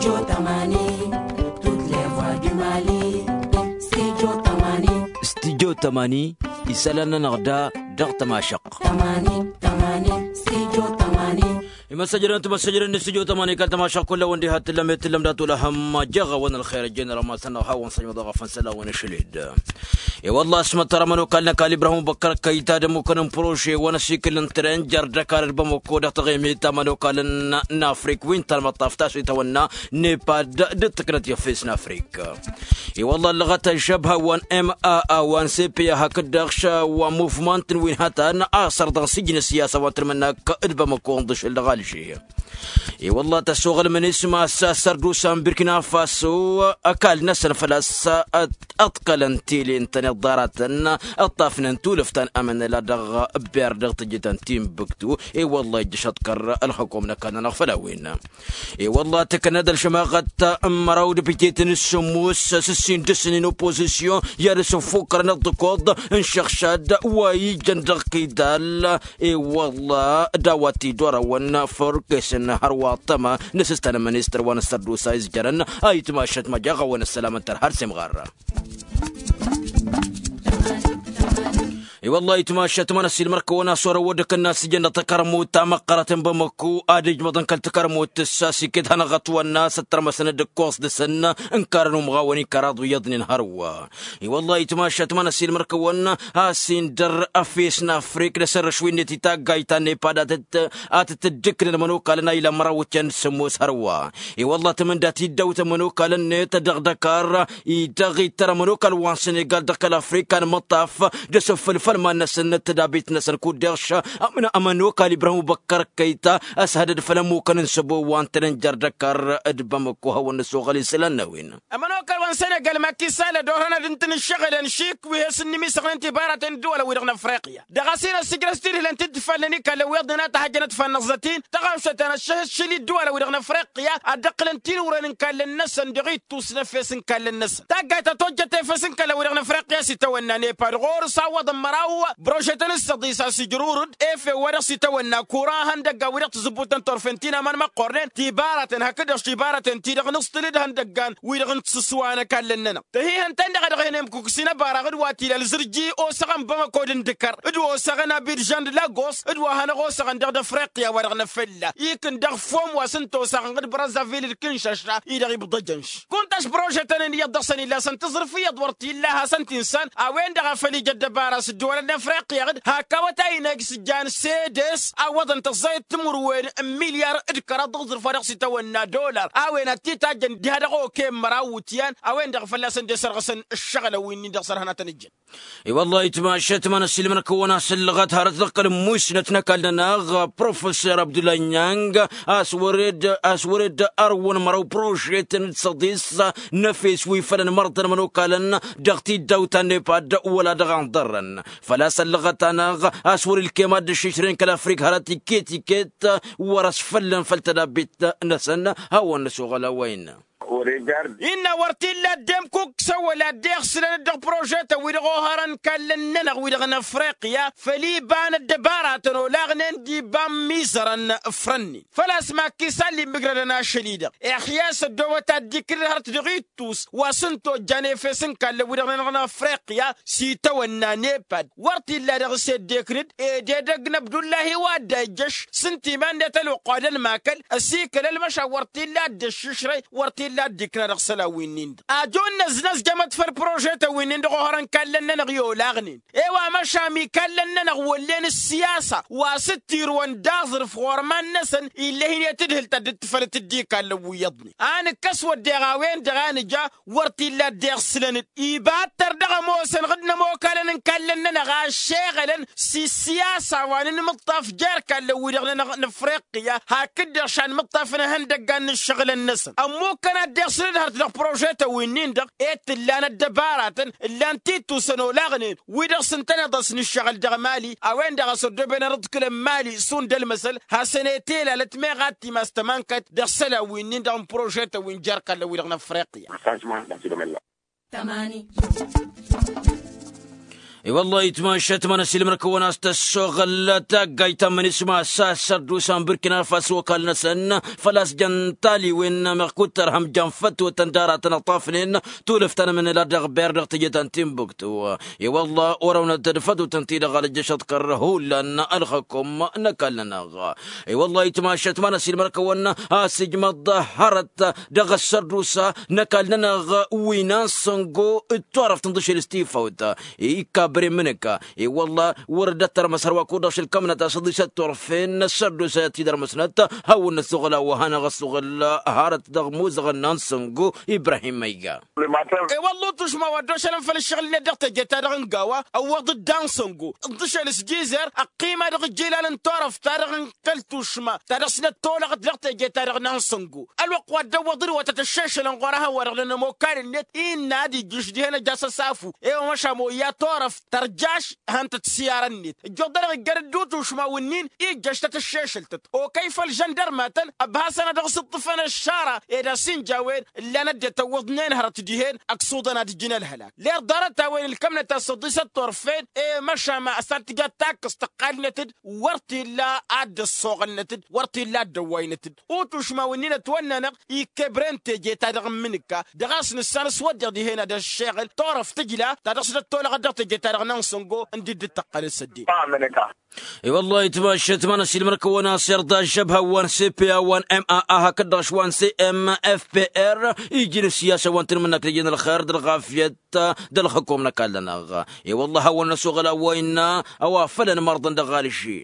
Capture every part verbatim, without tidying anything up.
Studio tămani. Studio tămani. Isălan-nănăɣ da dăɣ-tămašăqq. Imăssăjrăn timăssăjrăn n-studio tămani kăl-tămašăqq kull-a-wen diha t-tǝllăm i-t-tǝllăm dat-wăla hăm jeɣ-a-wen ălxer ăjjeen rămasăn-năɣ hawăn-săjmăḍ aɣăfăn săl-a-wen ašăl-dd. I-wălla ăsmăttăr ămănokal n-ăkall ibrahim băkkăr kăyy-ta d-ămmukăn n-prože wa n-asikǝl n-tren jer-dăkar d-bamăko dăɣ-taɣimit ta ămănokal n-afrik wi n-talmăṭṭaf ta s-itawănna nepad d-tǝknăt i-efes n-afrik. I-wălla ăllăɣăt ăžžăbha wa n-ma wa n-sepe hakd-dăɣ š-wa n-muvmant n-wi n-hătan a săr dăɣ-n sijǝn ăssiyasa wa n-tǝlmǝnnak d-bamăko ǝnḍǝšǝl dăɣ-alže. I-wălla tăsoɣăl mănisma s-sărdusa n-birkina faso ăkall-năsăn făl-a-s ăḍkălăn tele n-tăneḍ ḍaratăn ǝṭṭafnen tulǝft ta n-amănăla dăɣ-ber dăɣ-tǝjjǝtăn timbuktu. I-wălla ijjăš ăḍkăr ălxăkom n-ăkall-nănăɣ făll-a-wen. I-wălla tǝknăd ălšămaɣăt n-măraw d-bǝjeten s-sǝmmus s-ǝssin dăr-săn n-oppozisyon i-ad-ăsǝnfukkărăn ăḍḍǝkoḍ n-išăɣšad wa ijăn dăɣ-kidal. I-wălla d-a-wa t-idorăwăn făr-kăy-săn hărwa ăṭṭăma n-asǝstan n-ministăr wa n-ăssărdusa izjărăn. A itmašăt măjăɣ-awăn ăssălam ǝntăr har s-imɣarra. I-wălla itmašăt mănăs ilmăr-kăwăn a-s wăr-ăwwădăk ǝnnas ijăn dăɣ-takărmut ta măqqărăt n-bamăku ad-ijmăḍăn kăl-takărmut tǝssa s-iket hanăɣ-ătwănna s-ăttărmăsăn d-ǝkkoẓ dăr-săn. N-karăn umɣawăn ikăraḍ wi iyyăḍnen hărwa. I-wălla itmašăt mănăs ilmăr-kăwăn a-s indăr efes n-afrik d-asărrăš wi-net itaggayt ta n-nepad ad-tǝt-dd-ǝknăn ămănokalăn a ilan măraw d-ten d-sǝmmos hărwa. I-wălla tǝmǝnda tiddawt ămănokalăn-net dăɣ-dăkar-i dăɣ-ittăr ămănokal wa n-senegal dăɣ-kăl-afrika n-imǝṭṭaf d-asǝffǝl făll-iman-năsăn d-tădabit-năsăn kud-deɣ š-ămănokal ibrahim ubăkkăr kăyta ăshădăd făll-ămmukăn n-săbo wa n-tănăn jer-dăkar d-bamăko hawăn-năsoɣăl isălan n-a-wen. Ămănokal wa n-senegal makisal ădorhăn ad-ǝntǝn ǝššăɣǝlăn šik wi he-sǝnnǝmisăɣnen tibaraten ǝddǝwălăn-wi-dăɣ n-afriqya dăɣ-a-s hin-ăssijrăs tidhǝlen-ti-dd tǝfalnen ikallen wi iyyăḍnen a tăhăjjănăt fannăẓăt-in tăɣawšăt-en ăššăhǝššǝl i-ǝddǝwălăn-wi-dăɣ n-afriqya ad-dd-ǝqqǝlăn tinǝwrăyăn n-ikallen-năsăn dăɣ-ittus n-efes n-ikallen-năsăn. Taggayt ta tojjăt efes n-ikallen-wi-dăɣ n-afriqya s-itawănna nepad ɣur-s a ǝwwăḍăn măraw. Brožetăn s-săḍis a-s ijrurǝd efe wa dăɣ-s itawănna kura ihăndăggan wi dăɣ-tǝzǝbbut n-turfen ti n-aman măqqornen tibaraten hakd-dăɣ tibaraten-ti-dăɣ nǝẓtǝl d-ihăndăggan wi-dăɣ n-tisǝswa n-ăkall-nănăɣ. Tăhihăn-ten-dăɣ a dăɣ-hin-emkukǝs i-inăbara d-wa t-ila ălzǝrji osăɣăn bamăko d-indǝkăr d-wa osăɣăn abidžan d-lagos d-wa hanăɣ-osăɣăn dăɣ-d-afriqya wa dăɣ-năfălla ikǝn dăɣ-fom wa s-ǝnta osăɣăn d-brazavil d-kǝnšăša-i-dăɣ ibḍăjăn š-kunta a-s prožetăn n-iyyăḍ dăɣ-săn illa a-s ǝntǝẓrǝf iyyăḍ wăr t-illa a hasăn-t insan. A-wen-dăɣ a făl ija ăddăbara s-ǝddǝwălăn n-afriqya d-hak awătay-năj s-jan sedes a ǝwwăḍăn tăẓẓayăt timǝrwen n-milyar d-kăraḍ dăɣ-aẓrǝf wa dăɣ-s itawănna dolar a-wen ad-t-itajjăn diha dăɣ-okăyăn măraw iwǝtyan. A-wen-dăɣ fălla-săn dd-esărɣăsăn ǝššăɣǝlăn wi-nin-dăɣ s-ărhănătăn ǝjjăn. I-wăllah itmašat ma n-ăssiilmăn-kăwăn a-s ǝllăɣăt hărăt dăɣ-kăl-ǝmmuysnăt n-ăkall-nănăɣ professor abdullah nyang a-s wăr-dd a-s wăr-dd ărwăn măraw prožetăn d-săḍis n-efes wi făl ănmărtăn ămănokalăn dăɣ-tiddawt ta n-nepad wăla dăɣ-anḍărrăn. Făl-a-s ăllăɣăt-anăɣ a-s wăr-ilkem ad-dd-ǝššǝšrăyăn kăl-afrik hărăt iket-iket wăr-ăsfăllăn făll-tădabit-năsăn. Hawăn-năsoɣ ălawăyăn. Innă wăr t-illa ăddem kuk s-ăwwăl ad-dd-iɣsǝlăn-dd dăɣ-prožetăn wi-dăɣ ohărăn ikallăn-nănăɣ wi-dăɣ n-afriqya făl iba n-ăddăbaratăn olaɣnen d-iba n-imizărăn. Ǝfrănnen făl-a-s makkisal immǝgrădăn ašăl-i-dăɣ iɣyas ăddoobăt ad-dd-ikǝlăl hărăt dăɣ-ittus wa s-ǝnta ojjan efes n-ikallăn wi-dăɣ-nănăɣ n-afriqya s-itawănna nepad wăr t-illa dăɣ-s ed d-eknǝd ed edăgg n-abdullahi wa dd-ejjăš s-ǝnta iman-net ălwăqq wa d-ălmakăl ăsikăl ălmăšan wăr t-illa dd-ăššǝšrăy wăr t-illa dd-ikna dăɣ-isălan wi-nin-dăɣ. Ajun năznăzjămăt făll-prožetăn wi-nin-dăɣ ohărăn ikallăn-nănăɣ i-olaɣnen i-wa măšan ikallăn-nănăɣ wăllen ǝssiyasa wa s-dd-tirǝwăn d-aẓrǝf ɣur-iman-năsăn ill'-e hin-e-tǝdhǝl ta dd-tǝfălăt d-ikallăn wi iyyăḍnen a nǝkkăs wădden a-wen-dăɣ a nǝja wăr t-illa dd-iɣsǝlăn-dd iba ǝttăr dăɣ-ămoosăn ɣǝd n-ămokalăn n-ikallăn-nănăɣ a ăššeɣălăn s-issiyasa wa n-inmǝṭṭaf jer-ikallăn-wi-dăɣ-nănăɣ n-afriqya hakd-dăɣ šanmǝṭṭaf n-ihăndăggan n-ǝššăɣǝlăn-năsăn ămmukkăn ad-dd-iɣsǝlăn hărăt dăɣ-prožetăn wi-nin-dăɣ ed t-ǝllan ăddăbaratăn ǝllan-t ittusăn olaɣnen wi-dăɣ s-ǝntăneḍ a-s n-ǝššăɣǝl dăɣ-mali a-wen-dăɣ a-s ăddooben arǝḍkǝl n-mali šund ălmăsăl hasăn-e-t-elalăt meɣ ad-timas tămankăt dăɣ-isălan wi-nin-dăɣ n-prožetăn wi n-jer-ikallăn-wi-dăɣ n-afriqya. I-wăllah itmašat ma n-asilmăr-kăwăn a-s tăssoɣăl taggayt ta n-mănisma s-a-s sărdusa n-burkina faso ăkall-năsăn făl-a-s jăn taliwen meɣ kuttărhăm jăn fătwătăn d-aratăn ăṭṭafnen tulǝft ta n-amǝnǝla dăɣ-ber dăɣ-teje ta n-timbuktu. I-wăllah orăwnăt-dd fătwătăn-ti-dăɣ alăjjăšăḍ kăr-hullan ălxăkum n-ăkall-nănăɣ. I-wăllah itmašat ma n-asilmăr-kăwăn a-s ijmăḍ hărăt dăɣ-ăssărdusa n-ăkall-nănăɣ wi n-ansăngo d-turăft n-dăšel s-tifawt ikabăre n-imǝnǝka. I-wăllah wăr dd-ăttărmăs hărwa kud-dăɣ šăl kămnăt a-s ăḍisăt turăfen n-ăssărdusa tidărmăsnăt hawăn-năsuɣǝl a-wa hanăɣ-ăsuɣǝl hărăt dăɣ-imuzăɣăn n-ansăngo ibrahim măyga. I-wălla utušma wa dd-ošălăn făll-ǝššăɣǝl-net dăɣ-teje-ta-dăɣ n-gawa ăwwăḍ-dd ansăngo ǝḍḍǝšel s-jizer ăqqima dăɣ-ijilal n-turăft-ta-dăɣ n-kăl-tušma ta dăɣ-s năttolăɣăt dăɣ-teje-ta-dăɣ n-ansăngo. Ălwăqq wa dd-ăwwăḍăn wa tăt-ăššešălăn ɣur-ehăn wa dăɣ-nănămokal-net innă ad-ijjǝš dihen ăj'-as ăsafu. E-wa măšan moyya turăft tărjaš hăn-tăt s-iyarăn-net ǝjjoḍ-dăɣ iggăr-dd utušma wǝnnin ijjăš tăt-ăššešăltăt okăy făll-žăndărmatăn ăbhasăn ad-dăɣ-s ǝṭṭǝfăn ăššara ed a-s inja a-wen ǝllan ăddinăt ăwwăḍnen hărăt dihen ăksuḍăn ad-ǝjǝn ălhălak. Ler ḍarăt-a-wen ǝlkămnăt a-s ăḍisăt turfen i-măšan ma ăsantǝjat takkăẓt tăqqalnăt-dd wăr t-illa ad-dd-ăssoɣălnăt-dd wăr t-illa ad-dd-ăwwaynăt-dd. Utušma wǝnnin ătwănn'-anăɣ ikebren teje-ta-dăɣ n-imǝnǝkka dăɣ-a-s nǝssan s-wădden dihen ad-ăššeɣǝl turăft tǝjla ta dăɣ-s dd-ăttolăɣăt dăɣ-teje-ta-dăɣ n-ansăngo ǝndi dd-tăqqălăn s-ăddin. I-wăllah itmašat ma n-asilmăr-kăwăn a-s irḍa ăžžăbha wa n-cpa wa n-ma hakd-dăɣ š-wa n-cmfpr iji n-ǝssiyasa wa n-tanmǝnnak tǝjjăn ălxer d-ălɣafyăt d-ălxǝkum n-ăkall-nănăɣ. I-wăllah a hawăn-năsoɣăl a-wa innă a-wa făl ănmărḍăn dăɣ-alži.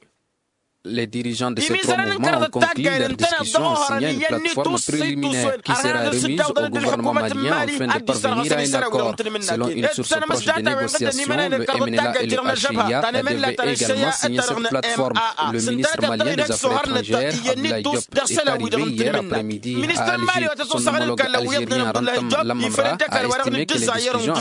Les dirigeants de ces trois mouvements ont conclu leur discussion en signant une plateforme préliminaire qui sera remise au gouvernement malien afin de parvenir à un accord. Selon une source proche des négociations, le M N L A et le H I A devaient également signer cette plateforme. Le ministre malien des Affaires étrangères, Abdoulaye Diop, est arrivé hier après-midi à Alger. Son homologue algérien, Ramtam Lamamra, a estimé que les discussions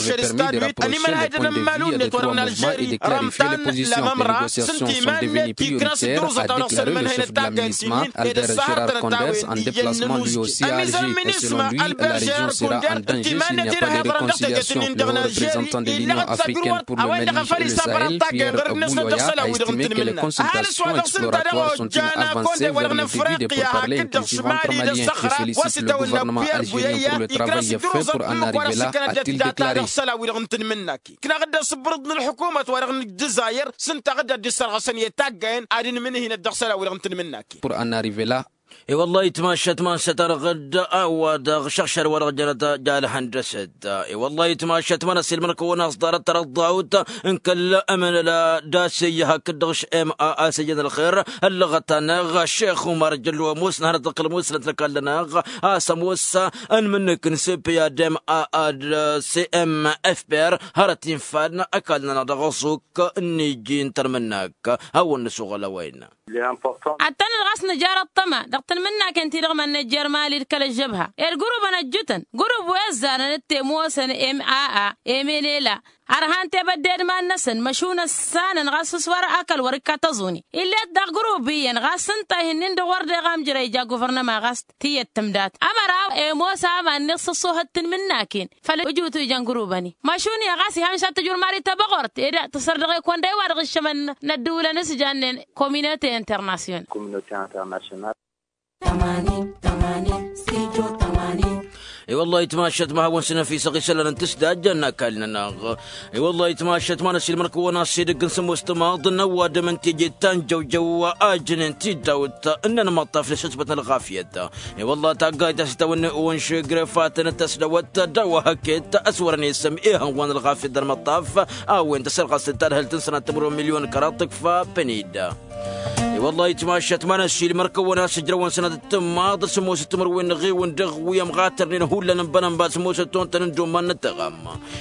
avaient permis de rapprocher les points de vue des trois mouvements et de clarifier les positions. Les négociations sont devenues prioritaires, a déclaré le chef de la MINUSMA, Albert Gérard Conders, en déplacement lui aussi à Alger. Et selon lui, la région sera en danger s'il n'y a pas de réconciliation. Le haut représentant de l'Union africaine pour le Mali et le Sahel, Pierre Bouyoya, a estimé que les consultations exploratoires sont une avancée vers le début des pourparlers inclusifs entre Maliens. Je félicite le gouvernement algérien pour le travail fait pour en arriver là, a-t-il déclaré. Kǝnaɣ-dd asǝbrǝḍ n-ălḥukumăt-wa-dăɣ n-ăddǝzayăr s-ǝnta a dd-issărɣăsăn i-taggayen ad-ǝnmǝnhǝynăt dăɣ-isălan-wi-dăɣ n-tanmǝnnaken. Pour en arriver là. I-wăllah itmašat ma n-sătarăɣ-dd a-wa dăɣ-išăɣšad-wa-dăɣ jănăt ja-ălhăndăsăt. I-wăllah itmašat ma n-ăsilmăr-kăwăn a-s ḍarăt tărăḍḍawt n-kăl-ămănăla d-asăyy hakd-dăɣ š-ma a-s ijăn ălxer ăllăɣăt-anăɣ šex umar jăllu ămoos n-hanăt-dăɣ kăl-musnăt n-ăkall-nănăɣ a-s ămoos ănmǝnǝk n-cpa d-ma a d-cmfpr hărăt infan ăkall-nănăɣ dăɣ-aẓuk n-iji n-tărmǝnnak. Hawăn-nǝsuɣăl a-wa innă. Ad-tăn-dd ɣas nǝjar ăṭṭăma dăɣ-tanmǝnnaken-ti-dăɣ mad-nǝjjer mali d-kăl-ăžžăbha. Ed gurub-anăjjutăn gurub wi ăzzanăn d-temoosăn ma a emenela ărhan tebădde d-iman-năsăn măšun ăssanăn ɣas s-wăr akăl wăr-ikka tăẓuni. Ill'-et daɣ gurub iyyăn ɣas ǝnta a hin-in-dăɣ wăr deɣ amjăr a ija guvărnăma ɣas tiyyăt tǝmdat ămăra imoos aman-net s-ăṣṣoohăt tanmǝnnaken. Făll-ǝjutu ijăn gurubăn-i măšun i-ɣas ihăn s-ad-tǝjur mali tăbăɣort ed tǝsăr dăɣ-e-kăwăn-dăɣ i-wa-dăɣ ǝššămăn n-ăddǝwǝlăn s-jannen kominote internasyonal. Kominote internasyonal. I-wăllah itmašat ma hawăn-săn ăfisăɣ isălan n-tǝsdajja n-ăkall-nănăɣ. I-wăllah itmašat ma n-ăsilmăr-kăwăn a-s edăgg n-sămoos timaḍ n-ăwadǝm n-teje ta n-jăwjăw ajnen tidawt n-inmăṭṭaf n-asǝsbăt n-ălɣafyăt. I-wăllah taggayt ta s-tawăn-ăwăn šegrefatăn d-tasdăwăt d-a-wa hăket ăswărăn i-săm ihăn wa n-ălɣafyăt d-ălmăṭṭaf a-wen tăsărɣăs d-tadhǝlt n-sănat timǝrwen milyon kăraḍ tǝkfa pănida. I-wăllah itmašat ma n-ăsilmăr-kăwăn a-s ǝjrăwăn sănat d-tǝmmaḍ sămoos timǝrwen n-eɣewăn dăɣ-wi ămɣatărnen hullan n-bănănba sămoos ăttontăn n-doman n-ăttăɣam.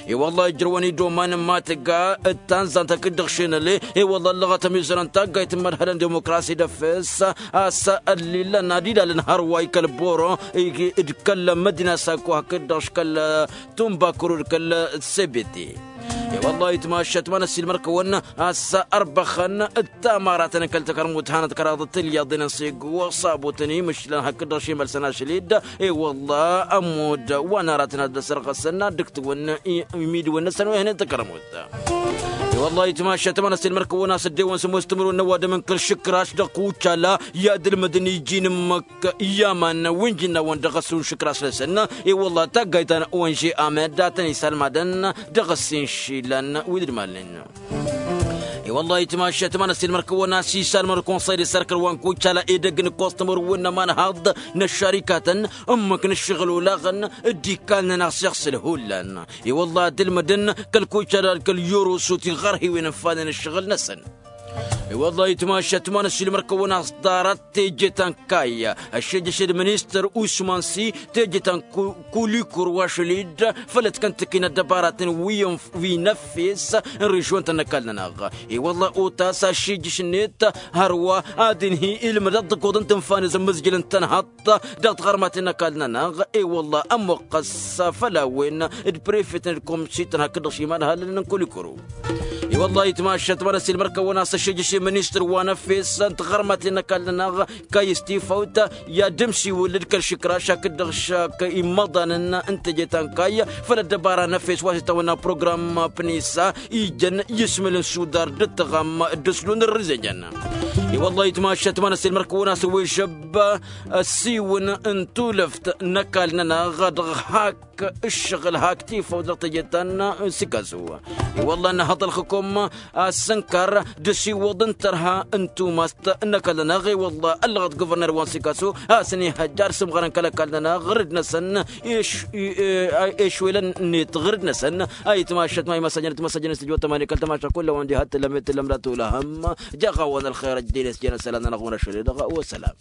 I-wăllah ǝjrăwăn i-doman n-matǝga d-tanzant hakd-dăɣ šenăle. I-wăllah ăllăɣăt ămizărăn taggayt n-imădhălăn dimokrasi d-efes a-s ăllilăn ad-ilalăn hărwa i-kăl-boro d-kăl-mădina sako hakd-dăɣ š-kăl-tumbakuru d-kăl-sebete. I-wăllah itmašat ma n-ăsilmăr-kăwăn a-s ărbăxăn d-tamaratăn kăl-takărmut hanăt-kăraḍăt ilyaḍen n-segu s-abutăn imǝšlan hakd-dăɣ šimălsăn ašăl-dd. I-wăllah ămudd wa n-aratăn ad-dd-ăsărɣăsăn ad-dd-ǝktǝwăn imidǝwăn-năsăn wa ihănen takărmut. I-wălla-hi tmašat ma n-ăssiilmăr-kăwăn a-s ăddewăn s-ămoos timǝrwen n-ăwadǝm n-kăl-išǝkraš dăɣ-kucala i-ad-ǝlmǝdăn iji n-ǝmmǝk i-aman wi n-ji n-awăn dăɣ-ăssun išǝkraš-năsăn. I-wălla-hi taggayt ta n-onže amed a tăn-isalmadăn dăɣ-ăssin išilan wi d-ǝdmalnen. I-wălla-hi tmašat ma n-ăssiilmăr-kăwăn a-s isalmăr konsăy d-isărkăl wa n-kucala edăgg n-kostămăr wi n-ămanhaḍ n-ăššarikatăn ǝmmǝk n-ǝššăɣǝl olaɣăn d-ikal-nănăɣ s-iɣsǝl hullan. I-wălla-hi ad-ǝlmǝdăn kăl-kucala d-kăl-yorosut iɣărhiwen ǝnfanen ǝššăɣǝl-năsăn. I-wălla-hi tmašat ma n-ăssiilmăr-kăwăn a-s ḍarăt teje ta n-kayy ăššejăš d-ministăr usman si teje ta n-kulikur wa šăl-dd făll-ătkăntăk-in ăddăbaratăn wi n-efes n-režion-tăn n-ăkall-nănăɣ. I-wălla-hi otas aššejăš-net hărwa ad-inhǝy ilmǝd ad-dd-ăkkoḍăn tǝnfa n-izǝmmǝzjǝl n-tănhăḍt dăɣ-tiɣărmaten n-ăkall-nănăɣ. I-wălla-hi ămmuqqăs făll-a-wen d-prefet n-ǝlkumsit-tăn hakd-dăɣ šiman hallălăn n-kulikuru. I-wălla-hi tmašat ma n-ăssiilmăr-kăwăn a-s ăššejăš i-ministăr wa n-efes n-tiɣărmaten n-ăkall-nănăɣ kayy s-tifawt i-ad-dd-ămsiwǝl d-kăl-išǝkraš hakd-dăɣ šak immăḍanăn n-teje ta n-kayy făll-ăddăbara n-efes wa s-itawănna program pnisa ijăn ismǝl n-sudar d-ǝttăɣam d-ǝslun ărrǝzejăn. I-wălla-hi tmašat ma n-ăssiilmăr-kăwăn a-s ăwwežăb ăssiiwǝn n-tulǝft n-ăkall-nănăɣ dăɣ-hak ǝššăɣǝl hak tifawt dăɣ-teje ta n-sikasu. I-wălla-hi ănhăḍălxǝkum a-s ǝnkar d-asiwǝḍ n-tărha n-tumast n-ăkall-nănăɣ. I-wălla-hi ăllăɣăt guvărner wa n-sikasu a-s ănihăjja ad-sǝmɣărăn kăl-ăkall-nănăɣ ɣǝrǝd-năsăn išwelăn-net ɣǝrǝd-năsăn. A itmašat ma imăsajăn timăsajăn s-tijwăt tămani kăl-tămaša kull a-wen diha t-tǝllăm i-tǝllăm d-ad-tulăhăm. Jaɣ-a-wen ălxer ăjjăyăn s-jăn ăssălan-nănăɣ-wen ašăl i-dăɣ wa sălam.